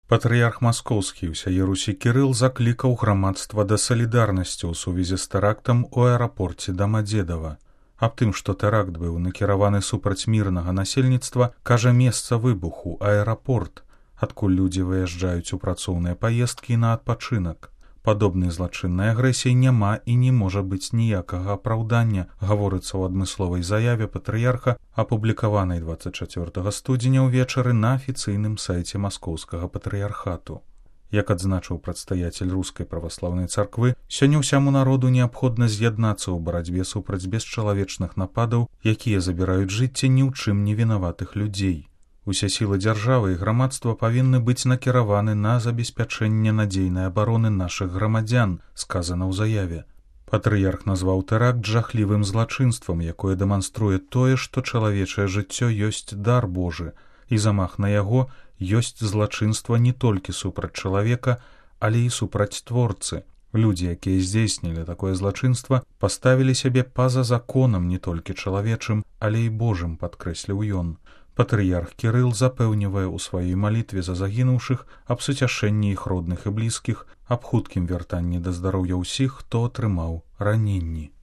Патрыярх маскоўскі ўсяе Русі Кірыл заклікаў грамадства да салідарнасці ў сувязі з тэрактам у аэрапорце Дамадзедава. Аб тым, што тэракт быў накіраваны супраць мірнага насельніцтва, кажа месца выбуху — аэрапорт, адкуль людзі выязджаюць у працоўныя паездкі на адпачынак. Падобнай злачыннай агрэсіі няма і не можа быць ніякага апраўдання, гаворыцца ў адмысловай заяве патрыярха, апублікаванай 24 студзеня ўвечары на афіцыйным сайце маскоўскага патрыярхату. Як адзначыў прадстаяцель рускай праваслаўнай царквы, сёння ўсяму народу неабходна з'яднацца ў барацьбе супраць бесчалавечных нападаў, якія забіраюць жыцці ні ў чым не вінаватых людзей. Усе сілы дзяржавы і грамадства павінны быць накіраваны на забеспячэнне надзейнай абароны нашых грамадзян, сказана ў заяве. Патрыярх назваў тэракт жахлівым злачынствам, якое дэманструе тое, што чалавечае жыццё ёсць дар Божы, і замах на яго ёсць злачынства не толькі супраць чалавека, але і супраць творцы. Людзі, якія здзейснілі такое злачынства, паставілі сябе па-за законам не толькі чалавечым, але і Божым, падкрэсліў ён. Патрыярх Кірыл запэўнівае ў сваёй малітве за загінуўшых аб суцяшэнні іх родных і блізкіх, аб хуткім вяртанні да здароўя ўсіх, хто атрымаў раненні.